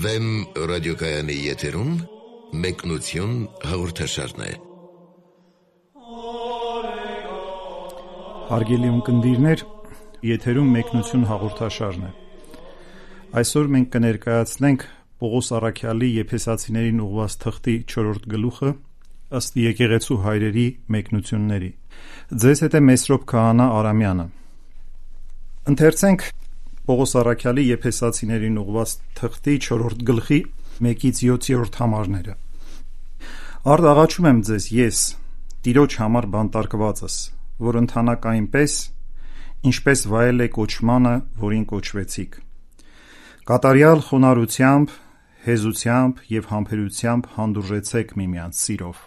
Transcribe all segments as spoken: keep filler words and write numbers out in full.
Վեմ ռադիոկայանի եթերում մեկնություն հաղորդաշարն է։ Հարգելի ունկնդիրներ, եթերում մեկնություն հաղորդաշարն է։ Այսօր մենք կներկայացնենք Պողոս Առաքյալի Եփեսացիներին ուղղված թղթի չորրորդ գլուխը ըստ եկեղեցու հայրերի մեկնությունների։ Ձեզ հետ է Մեսրոպ Քահանա Արամյանը։ Ընթերցենք Պողոս Առաքյալի Եփեսացիներին ուղղված թղթի չորրորդ գլխի մեկից յոթերորդ համարները։ Արդ աղաչում եմ ձեզ ես, Տիրոջ համար բանտարկվածս, որ ընթանաք այնպես, ինչպես վայել է կոչմանը, որին կոչվեցիք։ Կատարյալ խոնարհությամբ, հեզությամբ և համբերությամբ հանդուրժեցեք միմյանց սիրով։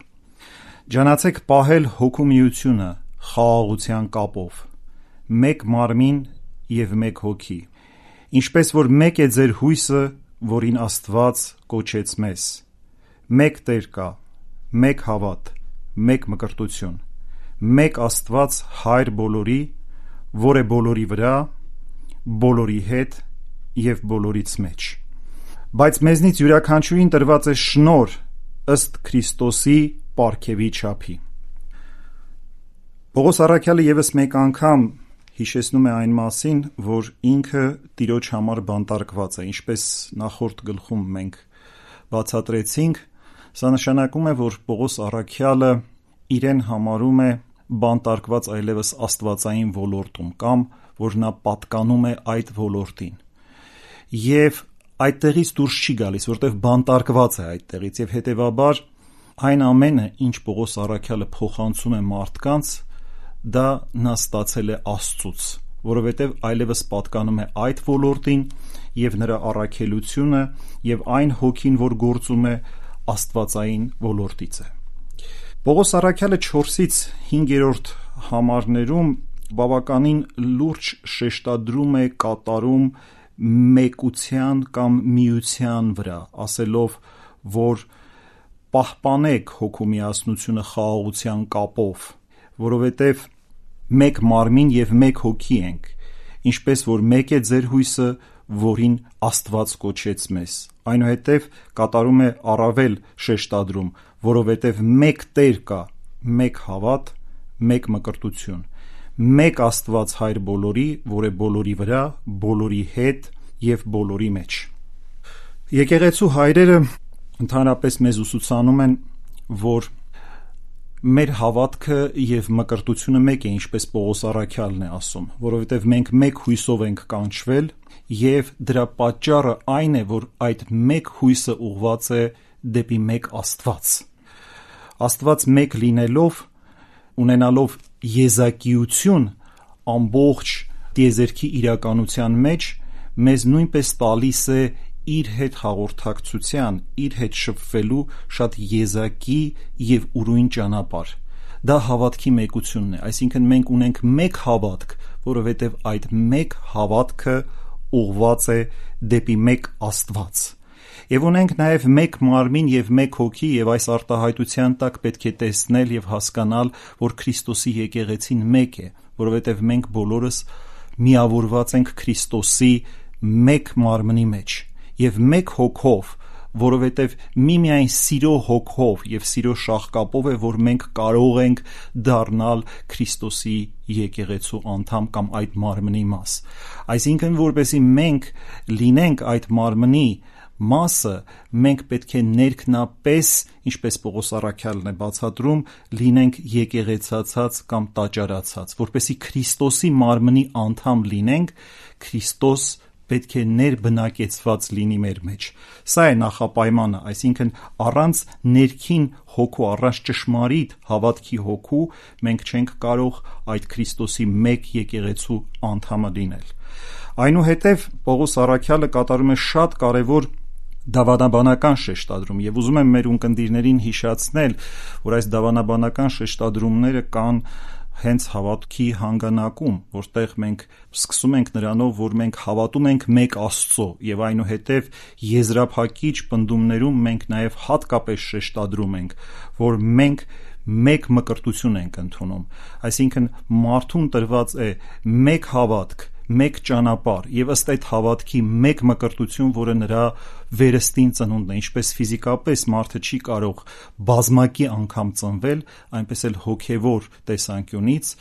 Ջանացեք պահել հոգու միությունը խաղաղության կապով, մեկ մարմին և մեկ հոգի, ինչպես որ մեկ է ձեր հույսը, որին Աստված կոչեց մեզ, մեկ Տեր կա, մեկ հավատ, մեկ մկրտություն, մեկ Աստված Հայր բոլորի, որ է բոլորի վրա, բոլորի հետ և բոլորից մեջ։ Բայց մեզնից յուրաքանչյուրին տրված է շնորհ ըստ Քրիստոսի պարգևի չափի։ Պողոս Առաքյալը ևս մեկ անգամ հիշեցնում է այն մասին, որ ինքը Տիրոջ համար բանտարկված է, ինչպես նախորդ գլխում մենք բացատրեցինք, սա նշանակում է, որ Պողոս Առաքյալը իրեն համարում է բանտարկված այլևս աստվածային ոլորտում կամ որ նա պատկանում է այդ ոլորտին։ Եվ այդտեղից դուրս չի գալիս, որտեղ բանտարկված է այդտեղից, եւ հետեւաբար այն ամենը, ինչ Պողոս Առաքյալը փոխանցում է մարդկանց, դա նա ստացել է Աստծուց, որովհետև այլևս պատկանում է այդ ոլորտին եւ նրա առաքելությունը եւ այն հոգին, որ գործում է աստվածային ոլորտից է։ Պողոս Առաքյալը չորսից հինգերորդ համարներում բավականին լուրջ շեշտադրում է կատարում մեկության կամ միության վրա, ասելով, որ պահպանեք հոգու միասնությունը խաղաղության կապով, որովհետև մեկ մարմին և մեկ հոգի ենք, ինչպես որ մեկ է ձեր հույսը, որին Աստված կոչեց մեզ։ Այնուհետև կատարում է առավել շեշտադրում, որովհետև մեկ Տեր կա, մեկ հավատ, մեկ մկրտություն, մեկ Աստված Հայր բոլորի, որ է բոլորի վրա, բոլորի հետ և բոլորի մեջ։ Եկեղեցու հայրերը ընդհանրապես մեզ ուսուցանում են, որ մեր հավատքը և մկրտությունը մեկ է, ինչպես Պողոս Առաքյալն է ասում, որովհետև մենք մեկ հույսով ենք կանչվել և դրա պատճառը այն է, որ այդ մեկ հույսը ուղղված է դեպի մեկ Աստված։ Աստված մեկ լինելով, ունենալով եզակիություն ամբողջ տիեզերքի իրականության մեջ, մեզ նույնպես տալիս է իր հետ հաղորդակցության, իր հետ շփվելու շատ եզակի և ուրույն ճանապարհ։ Դա հավատքի մեկությունն է, այսինքն մենք ունենք մեկ հավատք, որովհետև այդ մեկ հավատքը ուղղված է դեպի մեկ Աստված։ Եվ ունենք նաև մեկ մարմին և մեկ հոգի, և այս արտահայտության տակ պետք է տեսնել և հասկանալ, որ Քրիստոսի եկեղեցին մեկ է, որովհետև մենք բոլորս միավորված ենք Քրիստոսի մեկ մարմնի մեջ և մեկ հոգով, որովհետև միմիայն սիրո հոգով և սիրո շաղկապով է, որ մենք կարող ենք դառնալ Քրիստոսի եկեղեցու անդամ կամ այդ մարմնի մաս։ Այսինքն, որպեսզի մենք լինենք այդ մարմնի մասը, մենք պետք է ներքնապես, ինչպես Պողոս Առաքյալն է բացատրում, լինենք եկեղեցացած կամ տաճարացած, որպեսզի Քրիստոսի մարմնի անդամ լինենք, Քրիստոս պետք է ներբնակեցված լինի մեր մեջ։ Սա է նախապայմանը, այսինքն առանց ներքին հոգու, առանց ճշմարիտ հավատքի հոգու մենք չենք կարող այդ Քրիստոսի մեկ եկեղեցու անդամը լինել։ Այնուհետև Պողոս Առաքյալը կատարում է շատ կարևոր դավանաբանական շեշտադրում, եւ ուզում եմ մեր ունկնդիրներին հիշեցնել, որ այս դավանաբանական շեշտադրումները կան հենց հավատքի հանգանակում, որտեղ մենք սկսում ենք նրանով, որ մենք հավատում ենք մեկ Աստծո, եւ այնուհետև եզրափակիչ պնդումներում մենք նաև հատկապես շեշտադրում ենք, որ մենք մեկ մկրտություն ենք ընդունում, այսինքն մարդուն տրված է մեկ հավատք, մեկ ճանապարհ եւ ըստ այդ հավատքի մեկ մկրտություն, որը նրա վերստին ծնունդն է, ինչպես ֆիզիկապես մարդը չի կարող բազմակի անգամ ծնվել, այնպես էլ հոգեվոր տեսանկյունից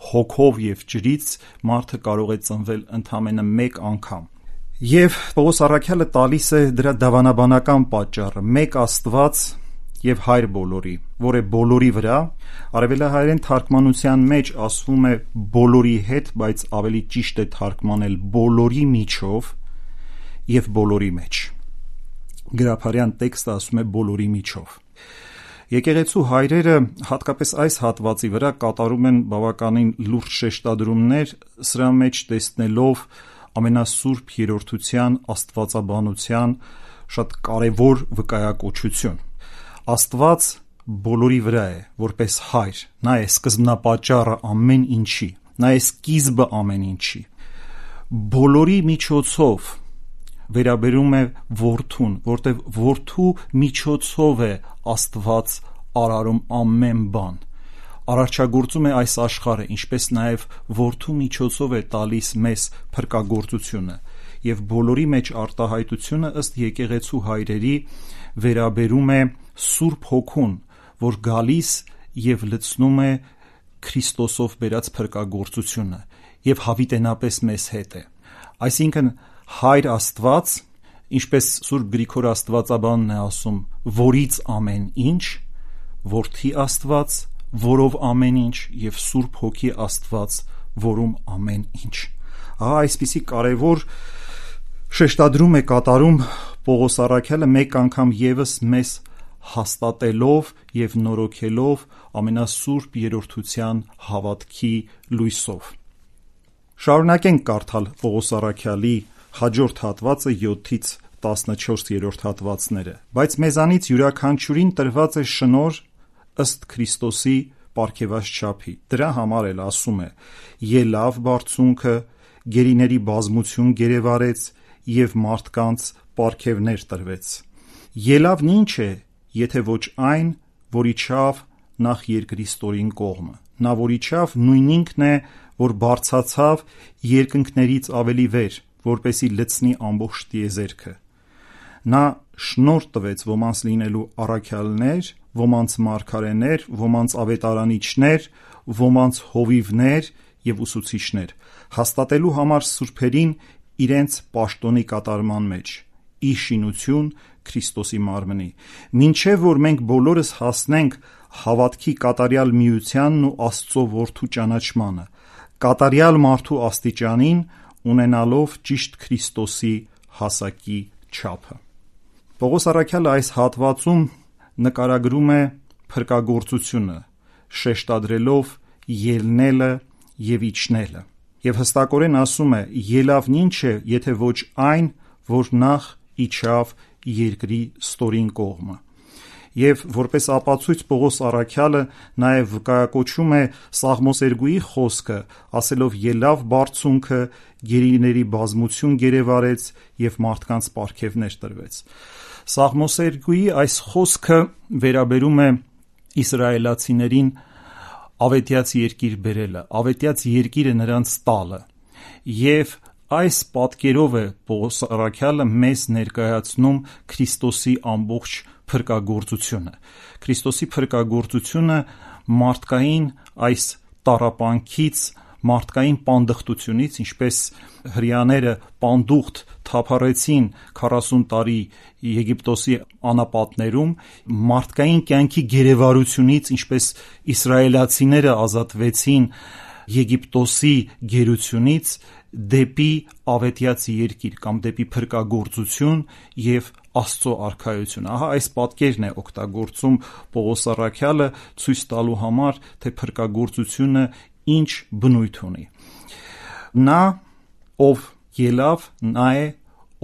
հոգով եւ ջրից մարդը կարող է ծնվել ընդամենը մեկ անգամ։ Եվ Պողոս առաքյալը տալիս է դրա դավանաբանական պատճառը՝ մեկ Աստված եւ Հայր բոլորի, որ է բոլորի վրա։ Արևելահայերեն թարգմանության մեջ ասվում է բոլորի հետ, բայց ավելի ճիշտ է թարգմանել բոլորի միջով եւ բոլորի մեջ։ Գրաբարյան տեքստը ասում է բոլորի միջով։ Եկեղեցու հայրերը հատկապես այս հատվածի վրա կատարում են բավականին լուրջ շեշտադրումներ, սրա մեջ տեսնելով ամենասուրբ երրորդության աստվածաբանության շատ կարևոր վկայակոչություն։ Աստված բոլորի վրա է, որպես Հայր, նա է սկզբնապատճառը ամեն ինչի, նա է սկիզբը ամեն ինչի։ Բոլորի միջոցով վերաբերում է որդուն, որտեղ որդու միջոցով է Աստված արարում ամեն բան, արարչագործում է այս աշխարհը, ինչպես նաև որդու միջոցով է տալիս մեզ փրկagorցությունը, եւ բոլորի մեջ արտահայտությունը ըստ եկեղեցու հայրերի վերաբերում է Սուրբ Հոգուն, որ գալիս եւ լցնում է Քրիստոսով բերած փրկagorցությունը եւ հավիտենապես մեզ հետ է։ Այսինքն Հայր Աստված, ինչպես Սուրբ Գրիգոր Աստվածաբանն է ասում, որից ամեն ինչ, Որդի Աստված, որով ամեն ինչ, եւ Սուրբ Հոգի Աստված, որում ամեն ինչ։ Ահա այսպիսի կարևոր շեշտադրում է կատարում Պողոս առաքյալը մեկ անգամ եւս մեզ հաստատելով եւ նորոգելով ամենասուրբ երրորդության հավատքի լույսով։ Շարունակենք կարդալ Պողոս առաքյալի հաջորդ հատվածը յոթից տասնչորս հատվածները, բայց մեզանից յուրաքանչյուրին տրված է շնորհ ըստ Քրիստոսի պարգևած չափի։ Դրա համար էլ ասում է. ելավ բարձունքը, գերիների բազմություն գերեվարեց եւ մարդկանց պարգևներ տրվեց։ Ելավն ինչ է, եթե ոչ այն, որ իջավ նախ երկրի ստորին կողմը։ Նա որ իջավ նույն ինքն է, որ բարձացավ երկնքներից ավելի վեր, որպեսի լցնի ամբողջ տիեզերքը։ Նա շնորհ տվեց ոմանց լինելու առաքյալներ, ոմանց մարգարեներ, ոմանց ավետարանիչներ, ոմանց հովիվներ եւ ուսուցիչներ, հաստատելու համար սուրբերին իրենց պաշտոնի կատարման մեջ, ի շինություն Քրիստոսի մարմնի, մինչև որ մենք բոլորս հասնենք հավատքի կատարյալ միությանն ու Աստծո որդու ճանաչմանը, կատարյալ մարդու աստիճանին, ունենալով ճիշտ Քրիստոսի հասակի չափը։ Պողոս առաքյալը այս հատվածում նկարագրում է փրկagorցությունը, շեշտադրելով ելնելը եւ իջնելը, եւ հստակորեն ասում է. ելավն ինչ է, եթե ոչ այն, որ նախ իջավ երկրի ստորին կողմը։ Եվ որպես ապացույց Պողոս առաքյալը նաև վկայակոչում է Սաղմոս երկուի խոսքը, ասելով ելավ բարձունքը, գերիների բազմություն գերեվարեց եւ մարդկանց պարգևներ տրվեց։ Սաղմոս երկուի այս խոսքը վերաբերում է իսրայելացիներին ավետյաց երկիր բերելը, ավետյաց երկիրը նրանց տալը, եւ այս պատկերով է Պողոս առաքյալը մեզ ներկայացնում Քրիստոսի ամբողջ փրկagorցությունը։ Քրիստոսի փրկagorցությունը մարդկային այս տառապանքից, մարդկային պանդխտությունից, ինչպես հրեաները պանդուխտ թափառեցին քառասուն տարի Եգիպտոսի անապատներում, մարդկային կյանքի գերեվարությունից, ինչպես իսրայելացիները ազատվեցին Եգիպտոսի գերությունից, դեպի ավետյաց երկիր կամ դեպի փրկagorցություն եւ Աստծո արքայություն։ Ահա այս պատկերն է օգտագործում Պողոս առաքյալը ցույց տալու համար, թե փրկagorցությունը ինչ բնույթ ունի։ Նա, ով ելավ, նա է,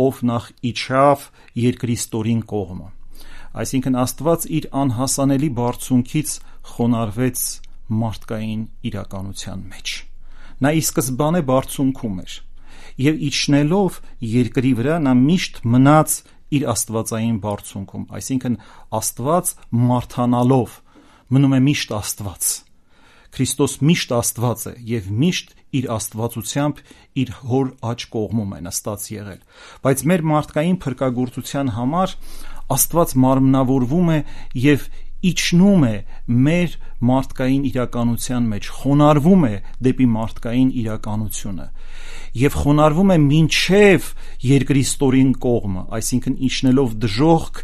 ով նախ իջավ երկրի ստորին կողմը։ Այսինքն Աստված իր անհասանելի բարձունքից խոնարհվեց մարդկային իրականության մեջ։ Նա ի սկզբանե բարձունքում էր եւ իջնելով երկրի վրա նա միշտ մնաց իր աստվածային բարձունքում, այսինքն Աստված մարդանալով մնում է միշտ Աստված։ Քրիստոս միշտ Աստված է եւ միշտ իր աստվածությամբ իր հոր աջ կողմում է նստած եղել, բայց մեր մարդկային փրկagorցության համար Աստված մարմնավորվում է եւ իջնում է մեր մարդկային իրականության մեջ, խոնարհվում է դեպի մարդկային իրականությունը եւ խոնարհվում է մինչեւ երկրի ստորին կողմը, այսինքն իջնելով դժոխք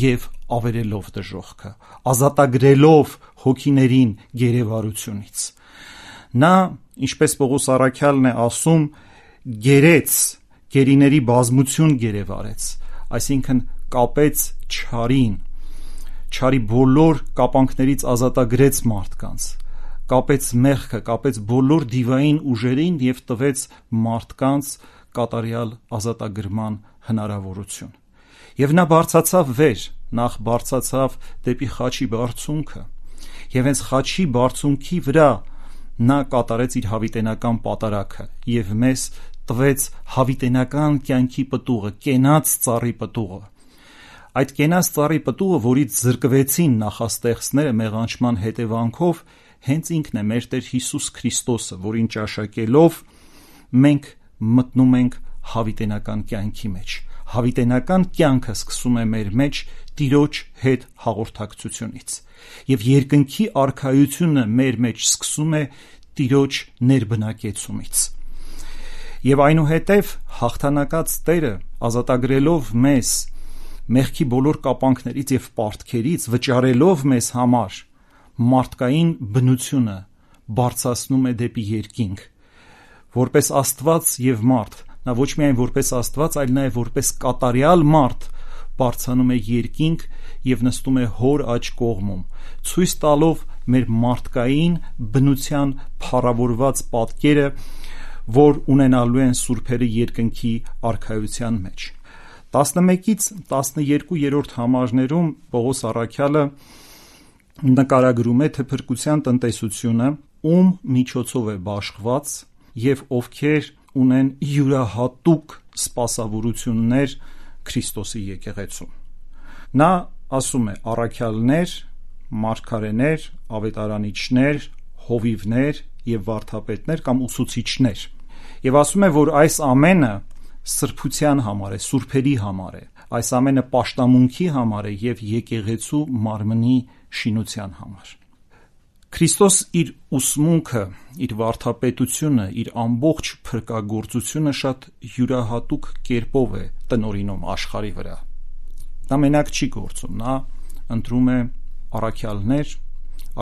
եւ ավերելով դժոխքը, ազատագրելով հոգիներին գերեվարությունից։ Նա, ինչպես Պողոս առաքյալն է ասում, գերեց, գերիների բազմություն գերեվարեց, այսինքն կապեց չարին, չարի բոլոր կապանքներից ազատագրեց մարդկանց, կապեց մեղքը, կապեց բոլոր դիվային ուժերին եւ տվեց մարդկանց կատարյալ ազատագրման հնարավորություն։ Եվ նա բարձացավ վեր, նախ բարձացավ դեպի խաչի բարձունքը, եւ հենց խաչի բարձունքի վրա նա կատարեց իր հավիտենական պատարագը եւ մեզ տվեց հավիտենական կյանքի պտուղը, կենաց ծառի պտուղը։ Այդ կենաց ծառի պտուղը, որից զրկվեցին նախաստեղծները մեղանչման հետևանքով, հենց ինքն է մեր Տեր Հիսուս Քրիստոսը, որին ճաշակելով մենք մտնում ենք հավիտենական կյանքի մեջ։ Հավիտենական կյանքը սկսում է մեր մեջ Տիրոջ հետ հաղորդակցությունից, եւ երկնքի արքայությունը մեր մեջ սկսում է Տիրոջ ներբնակեցումից։ Եվ այնուհետև հաղթանակած Տերը, ազատագրելով մեզ մեղքի բոլոր կապանքներից եւ պարտքերից, վճարելով մեզ համար մարդկային բնությունը, բարձրացնում է դեպի երկինք, որպես Աստված եւ մարդ։ Նա ոչ միայն որպես Աստված, այլ նաեւ որպես կատարյալ մարդ բարձրանում է երկինք եւ նստում է հոր աջ կողմում, ցույց տալով մեր մարդկային բնության փառավորված պատկերը, որ ունենալու են սուրբերը երկնքի արքայության մեջ։ տասնմեկից տասներկուերորդ համարներում Պողոս առաքյալը նկարագրում է թե փրկության տնտեսությունը ում միջոցով է բաշխված եւ ովքեր ունեն յուրահատուկ սպասավորություններ Քրիստոսի եկեղեցում։ Նա ասում է առաքյալներ, մարգարեներ, ավետարանիչներ, հովիվներ եւ վարդապետներ կամ ուսուցիչներ, եւ ասում է, որ այս ամենը սրբության համար է, սուրբերի համար է, այս ամենը պաշտամունքի համար է եւ եկեղեցու մարմնի շինության համար։ Քրիստոս իր ուսմունքը, իր վարդապետությունը, իր ամբողջ փրկagorցությունը շատ յուրահատուկ կերպով է տնօրինում աշխարհի վրա։ Նա մենակ չի գործում, նա ընտրում է առաքյալներ,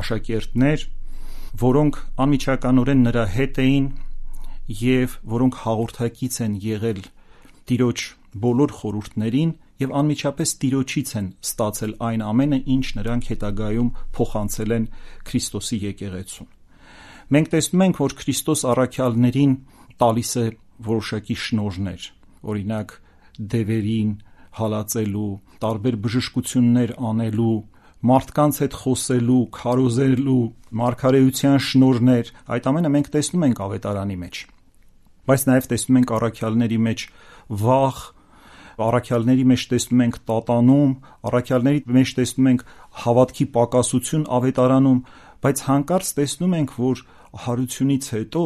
աշակերտներ, որոնք անմիջականորեն նրա հետ էին եւ որոնք հաղորդակից են եղել Տիրոջ բոլոր խորհուրդներին եւ անմիջապես Տիրոջից են ստացել այն ամենը, ինչ նրանք հետագայում փոխանցել են Քրիստոսի եկեղեցուն։ Մենք տեսնում ենք, որ Քրիստոս առաքյալներին տալիս է որոշակի շնորհներ, օրինակ դևերին հալածելու, տարբեր բժշկություններ անելու, մարդկանց հետ խոսելու, քարոզելու, մարգարեության շնորհներ, այդ ամենը մենք տեսնում ենք ավետարանի մեջ։ Բայց նաև տեսնում ենք առաքյալների մեջ վախ, առաքյալների մեջ տեսնում ենք տատանում, առաքյալների մեջ տեսնում ենք հավատքի պակասություն ավետարանում, բայց հանկարծ տեսնում ենք, որ հարությունից հետո,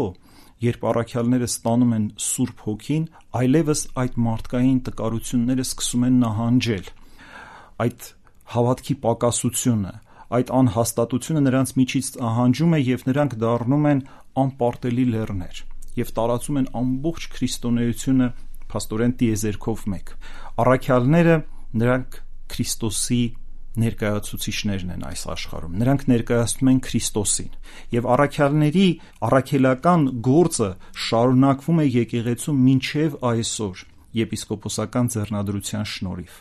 երբ առաքյալները ստանում են Սուրբ Հոգին, այլևս այդ մարդկային տկարությունները սկսում են նահանջել։ Այդ հավատքի պակասությունը, այդ անհաստատությունը նրանց միջից նահանջում է եւ նրանք դառնում են անպարտելի լեռներ եւ տարածում են ամբողջ քրիստոնեությունը փաստորեն տիեզերքով մեկ։ Առաքյալները նրանք Քրիստոսի ներկայացուցիչներն են այս աշխարհում, նրանք ներկայացնում են Քրիստոսին եւ առաքյալների առաքելական գործը շարունակվում է եկեղեցում մինչեւ այսօր եպիսկոպոսական ձեռնադրության շնորհիվ։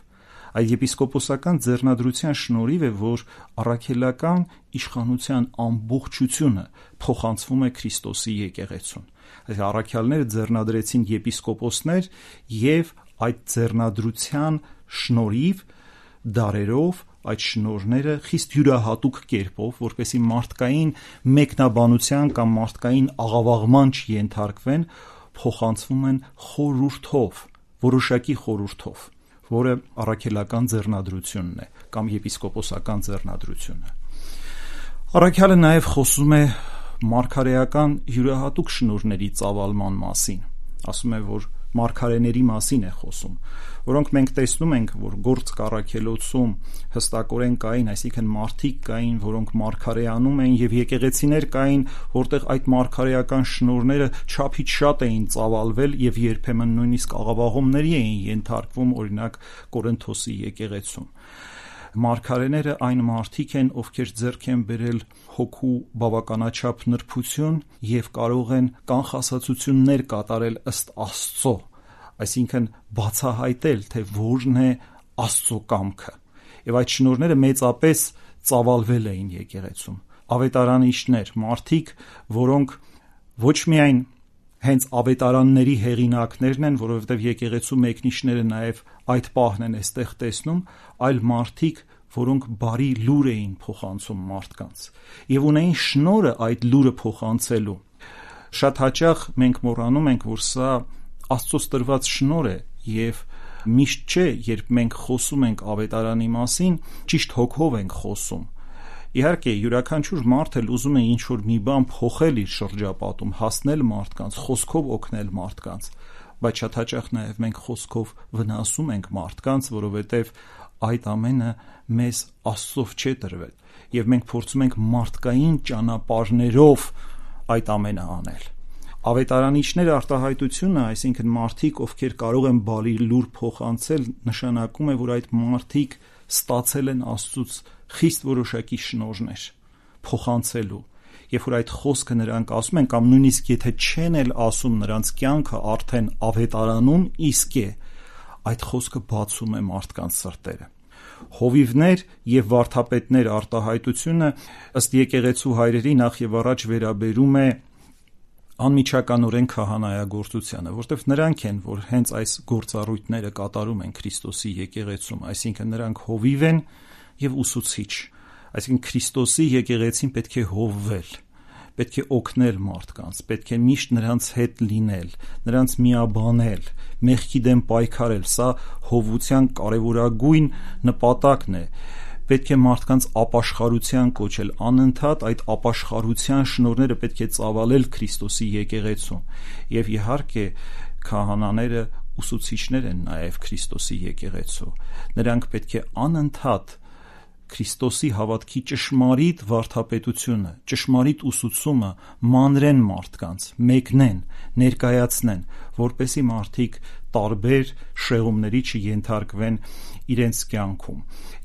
Այդ եպիսկոպոսական ձեռնադրության շնորհիվ է, որ առաքելական իշխանության ամբողջությունը փոխանցվում է Քրիստոսի եկեղեցուն։ Այս առաքյալները ձեռնադրեցին եպիսկոպոսներ եւ այդ ձեռնադրության շնորհիվ դարերով այդ շնորհները խիստ յուրահատուկ կերպով, որպեսզի մարդկային մեկնաբանության կամ մարդկային աղավաղման չենթարկվեն, փոխանցվում են խորհրդով, որոշակի խորհրդով, որը առաքելական ձեռնադրությունն է կամ եպիսկոպոսական ձեռնադրությունը։ Առաքյալը նաև խոսում է մարգարեական յուրահատուկ շնորհների ծավալման մասին, ասում է, որ մարգարեների մասին է խոսում, որոնք մենք տեսնում ենք, որ Գործ Առաքելոցում հստակորեն կային, այսինքն մարդիկ կային, որոնք մարգարեանում էին, եւ եկեղեցիներ կային, որտեղ այդ մարգարեական շնորհները չափից շատ էին ծավալվել եւ երբեմն նույնիսկ աղավաղումների էին ենթարկվում, օրինակ Կորինթոսի եկեղեցում։ Մարգարեները այն մարդիկ են, ովքեր ձեռք են բերել հոգու բավականաչափ նրբություն եւ կարող են կանխասացություններ կատարել ըստ Աստծո, այսինքն բացահայտել, թե որն է Աստծո կամքը։ Եվ այդ շնորհները մեծապես ծավալվել էին եկեղեցում։ Ավետարանիչներ, մարդիկ, որոնք ոչ միայն հենց ավետարանների հեղինակներն են, որովհետև եկեղեցու մեկնիչները նաև այդ պահն են այստեղ տեսնում, այլ մարդիկ, որոնք բարի լուր էին փոխանցում մարդկանց եւ ունեին շնորհը այդ լուրը փոխանցելու։ Շատ հաճախ մենք մոռանում ենք, որ սա Աստծոց տրված շնորհ է եւ միշտ չէ, երբ մենք խոսում ենք ավետարանի մասին, ճիշտ հոգով ենք խոսում։ Իհարկե, յուրաքանչյուր մարդ էլ ուզում է ինչ-որ մի բան փոխել իր շրջապատում, հասնել մարդկանց, խոսքով օգնել մարդկանց, բայց շատ հաճախ նաև մենք խոսքով վնասում ենք մարդկանց, որովհետև այդ ամենը մեզ Աստծով չէ տրվել, եւ մենք փորձում ենք մարդկային ճանապարհներով այդ ամենը անել։ Ավետարանիչների արտահայտությունը, այսինքն մարդիկ, ովքեր կարող են բարի լուր փոխանցել, նշանակում է, որ այդ մարդիկ ստացել են Աստծուց խիստ որոշակի շնորհներ փոխանցելու, երբ որ այդ խոսքը նրանք ասում են, կամ նույնիսկ եթե չեն էլ ասում, նրանց կյանքը արդեն ավետարանում իսկ է, այդ խոսքը բացում է մարդկանց սրտերը։ Հովիվներ եւ վարդապետներ արտահայտությունը ըստ եկեղեցու հայրերի նախ եւ առաջ վերաբերում է անմիջականորեն քահանայագործությանը, որտեղ նրանք են, որ հենց այս գործառույթները կատարում են Քրիստոսի եկեղեցում, այսինքն նրանք հովիվ են եւ ուսուցիչ, այսինքն Քրիստոսի եկեղեցին պետք է հովվել, պետք է օգնել մարդկանց, պետք է միշտ նրանց հետ լինել, նրանց միաբանել, մեղքի դեմ պայքարել, սա հովության կարևորագույն նպատակն է։ Պետք է մարդկանց ապաշխարության կոչել, անընդհատ այդ ապաշխարության շնորհները պետք է ծավալել Քրիստոսի եկեղեցում։ Եվ իհարկե քահանաները ուսուցիչներ են նաև Քրիստոսի եկեղեցու։ Նրանք պետք է անընդհատ Քրիստոսի հավատքի ճշմարիտ վարդապետությունը, ճշմարիտ ուսուցումը մանրեն մարդկանց, մեկնեն, ներկայացնեն, որպեսզի մարդիկ տարբեր շեղումների չենթարկվեն իրենց կյանքում։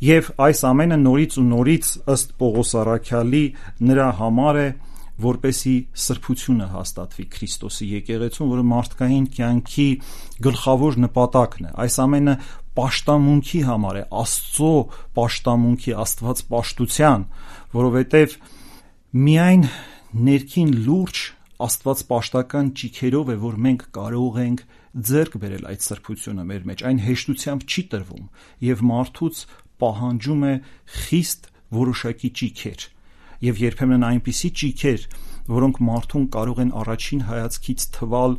Եվ այս ամենը նորից ու նորից ըստ Պողոս առաքյալի նրա համար է, որպեսի սրբությունը հաստատվի Քրիստոսի եկեղեցում, որը մարդկային կյանքի գլխավոր նպատակն է։ Այս ամենը պաշտամունքի համար է, Աստծո պաշտամունքի, Աստված պաշտության, որովհետև միայն ներքին լուրջ Աստված պաշտական ճիքերով է, որ մենք կարող ենք ձեռք բերել այդ սրբությունը մեր մեջ, այն հեշտությամբ չի տրվում եւ մարդուց պահանջում է խիստ որոշակի ճիքեր եւ երբեմն այնպիսի ճիքեր, որոնք մարդուն կարող են առաջին հայացքից թվալ,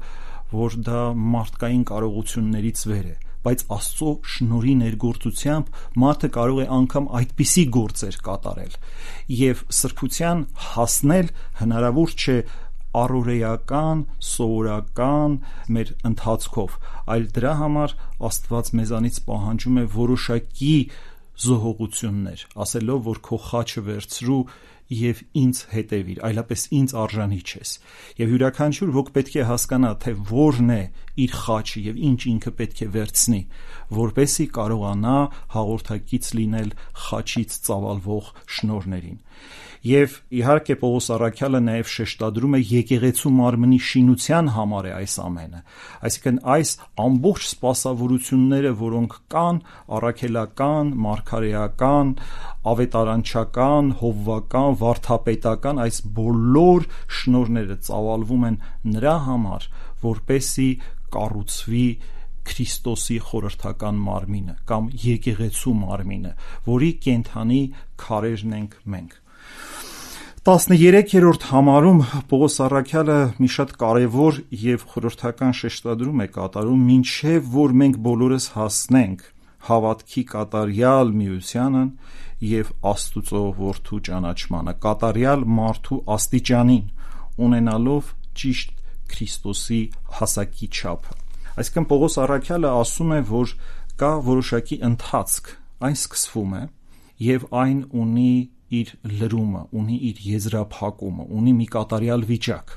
որ դա մարդկային կարողություններից վեր է, բայց Աստծո շնորհի ներգործությամբ մարդը կարող է անգամ այդպիսի գործեր կատարել եւ սրբության հասնել հնարավոր չէ առօրեական, սովորական մեր ընթացքով, այլ դրա համար Աստված մեզանից պահանջում է որոշակի զոհողություններ, ասելով, որ քո խաչը վերցրու եւ ինձ հետևիր, այլապես ինձ արժանի չես։ Եվ յուրաքանչյուր ոք պետք է հասկանա, թե որն է իր խաչը եւ ինչ ինքը պետք է վերցնի, որպեսզի կարողանա հաղորդակից լինել խաչից ծավալվող շնորհներին։ Եվ իհարկե Պողոս առաքյալը նաև շեշտադրում է եկեղեցու մարմնի շինության համար է այս ամենը, այսինքն այս ամբողջ սպասավորությունները, որոնք կան, առաքելական, մարգարեական, ավետարանչական, հովվական, վարդապետական, այս բոլոր շնորհները ծավալվում են նրա համար, որպեսզի կառուցվի Քրիստոսի խորհրդական մարմինը կամ եկեղեցու մարմինը, որի կենթանի քարերն ենք մենք։ տասներեքերորդ համարում Պողոս առաքյալը մի շատ կարևոր եւ խորհրդական շեշտադրում է կատարում, մինչեւ որ մենք բոլորս հասնենք հավատքի կատարյալ միությանը եւ Աստուծո որդու ճանաչմանը, կատարյալ մարդու աստիճանին, ունենալով ճիշտ Քրիստոսի հասակի չափը։ Այսինքն Պողոս առաքյալը ասում է, որ կա որոշակի ընթացք, այն սկսվում է եւ այն ունի իր լրումը, ունի իր եզրափակումը, ունի մի կատարյալ վիճակ։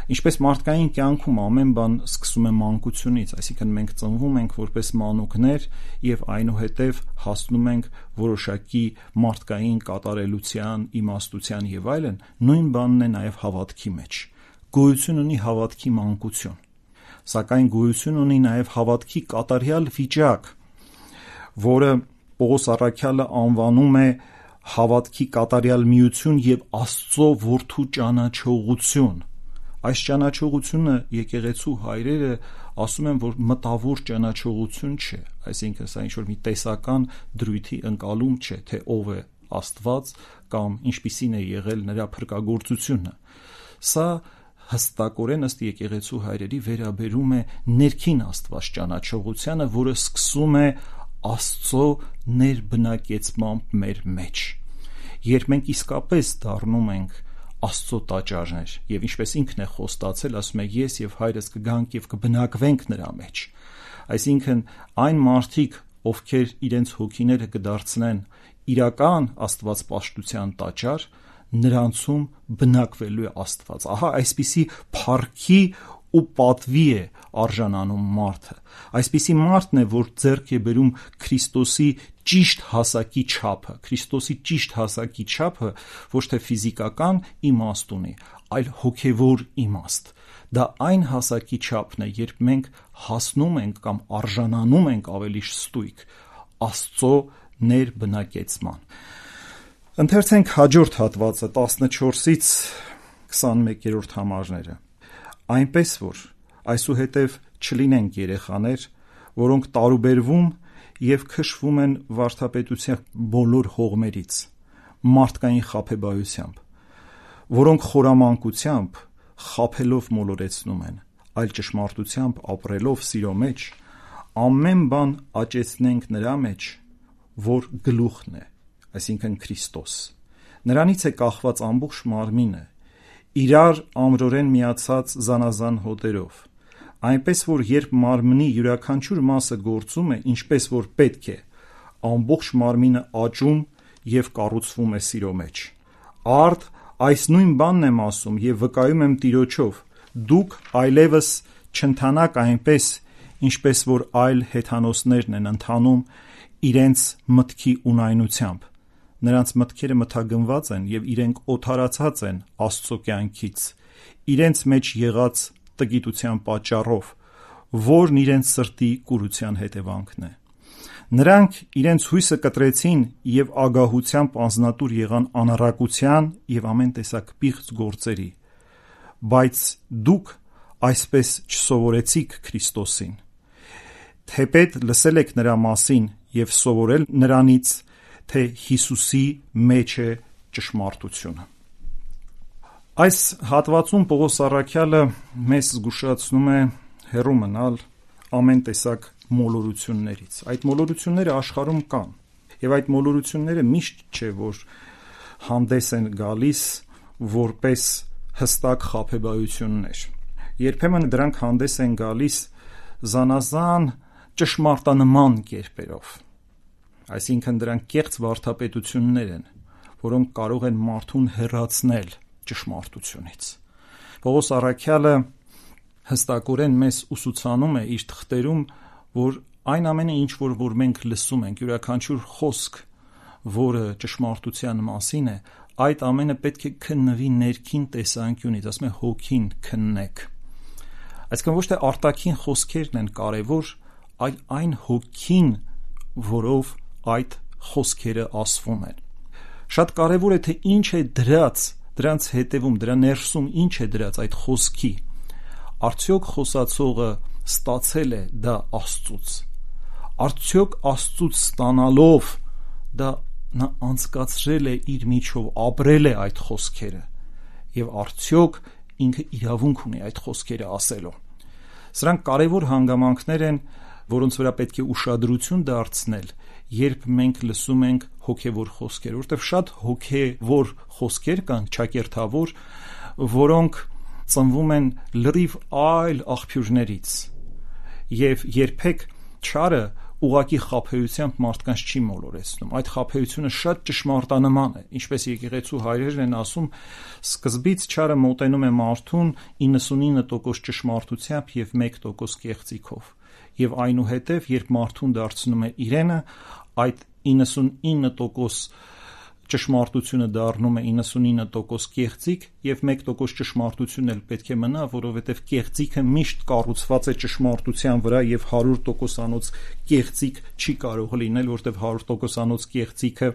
Ինչպես մարդկային կյանքում ամեն բան սկսում է մանկությունից, այսինքն մենք ծնվում ենք որպես մանուկներ եւ այնուհետեւ հասնում ենք որոշակի մարդկային կատարելության, իմաստության եւ այլն, նույն բանն է նաեւ հավատքի մեջ։ Գոյություն ունի հավատքի մանկություն, սակայն գոյություն ունի նաեւ հավատքի կատարյալ վիճակ, որը Պողոս առաքյալը անվանում է հավատքի կատարյալ միություն եւ Աստծո որդու ճանաչողություն։ Այս ճանաչողությունը եկեղեցու հայրերը ասում են, որ մտավոր ճանաչողություն չէ, այսինքն սա ինչ-որ մի տեսական դրույթի ընկալում չէ, թե ով է Աստված կամ ինչպիսին է եղել նրա փրկagorցությունը։ Սա հստակորեն ըստ եկեղեցու հայրերի վերաբերում է ներքին Աստված ճանաչողությանը, որը սկսում է Աստծո ներբնակեցմամբ մեր մեջ։ Երբ մենք իսկապես դառնում ենք Աստծո տաճարներ, եւ ինչպես ինքն է խոստացել, ասում է ես եւ հայրս կգանք եւ կբնակվենք նրա մեջ։ Այսինքն այն մարդիկ, ովքեր իրենց հոգիները կդարձնեն իրական Աստվածպաշտության տաճար, նրանցում բնակվելու է Աստված։ Ահա այսպիսի փառքի ու պատվի է արժանանում մարդը։ Այսպիսի մարդն է, որ ձեռք է բերում Քրիստոսի ճիշտ հասակի չափը, Քրիստոսի ճիշտ հասակի չափը ոչ թե ֆիզիկական իմաստ ունի, այլ հոգևոր իմաստ։ Դա այն հասակի չափն է, երբ մենք հասնում ենք կամ արժանանում ենք ավելի ստույգ Աստծո ներբնակեցման։ Ընթերցենք հաջորդ հատվածը տասնչորսից քսանմեկերորդ համարները։ Այնպես որ այսուհետև չլինենք երեխաներ, որոնք տարուբերվում եւ քշվում են վարդապետության բոլոր հողմերից, մարդկային խաբեբայությամբ, որոնք խորամանկությամբ խաբելով մոլորեցնում են, այլ ճշմարտությամբ ապրելով սիրո մեջ, ամեն բան աճեցնենք նրա մեջ, որ գլուխն է, այսինքն Քրիստոս։ Նրանից է կախված ամբողջ մարմինը, իրար ամրորեն միացած զանազան հոտերով, այնպես որ երբ մարմնի յուրաքանչյուր մասը գործում է, ինչպես որ պետք է, ամբողջ մարմինը աճում եւ կառուցվում է սիրո մեջ։ Արդ այս նույն բանն եմ ասում եւ վկայում եմ Տիրոջով, դուք այլևս չընթանաք այնպես, ինչպես որ այլ հեթանոսներն են ընթանում իրենց մտքի ունայնությամբ։ Նրանց մտքերը մթագնված են եւ իրենք օթարացած են Աստծո կյանքից, իրենց մեջ եղած տգիտության պատճառով, որն իրենց սրտի կուրության հետևանքն է։ Նրանք իրենց հույսը կտրեցին եւ ագահությամբ անznատուր եղան անառակության եւ ամեն տեսակ պիղծ գործերի, բայց դուք այսպես չսովորեցիք Քրիստոսին, թեպետ լսել եք նրա մասին եւ սովորել նրանից, թե Հիսուսի մեջ է ճշմարտությունը։ Այս հատվածում Պողոս առաքյալը մեզ զգուշացնում է հեռու մնալ ամեն տեսակ մոլորություններից։ Այդ մոլորությունները աշխարհում կան, եւ այդ մոլորությունները միշտ չէ, որ հանդես են գալիս որպես հստակ խաբեբայություններ։ Երբեմն դրանք հանդես են գալիս զանազան ճշմարտանման կերպերով։ Այսինքն դրանք կեղծ վարդապետություններ են, որոնք կարող են մարդուն հեռացնել ճշմարտությունից։ Պողոս առաքյալը հստակորեն մեզ ուսուցանում է իր թղթերում, որ այն ամենը, ինչ որ, որ մենք լսում ենք, յուրաքանչյուր խոսք, որը ճշմարտության մասին է, այդ ամենը պետք է քննվի ներքին տեսանկյունից, ասում է հոգին քննեք։ Այսինքն ոչ թե արտաքին խոսքերն են կարևոր, այլ այն հոգին, որով այդ խոսքերը ասվում են։ Շատ կարևոր է, թե ինչ է դրած, դրանց հետևում, դրա ներսում ինչ է դրած այդ խոսքի։ Արդյոք խոսացողը ստացել է դա Աստծուց։ Արդյոք Աստծուց ստանալով դա նա անցկացրել է իր միջով, ապրել է այդ խոսքերը, եւ արդյոք ինքը իրավունք ունի այդ խոսքերը ասելու։ Սրանք կարևոր հանգամանքներ են, որոնց վրա պետք է ուշադրություն դարձնել, երբ մենք լսում ենք հոգևոր խոսքեր, որտեղ շատ հոգևոր խոսքեր կան, ճակերտավոր, որոնք ծնվում են լրիվ այլ աղբյուրներից, եւ երբեք չարը ուղակի խաբեությամբ մարդկանց չի մոլորեցնում։ Այդ խաբեությունը շատ ճշմարտանման է, ինչպես եկեղեցու հայրերն են ասում, սկզբից չարը մոտենում է մարդուն իննսունինը տոկոս ճշմարտությամբ եւ մեկ տոկոս կեղծիքով, եւ այնուհետեւ երբ մարդուն դարձնում է իրենը, այդ իննսունինը տոկոս ճշմարտությունը դառնում է իննսունինը տոկոս կեղծիք եւ մեկ տոկոս ճշմարտությունն էլ պետք է մնա, որովհետեւ կեղծիքը միշտ կառուցված է ճշմարտության վրա եւ հարյուր տոկոսանոց կեղծիք չի կարող լինել, որովհետեւ հարյուր տոկոսանոց կեղծիքը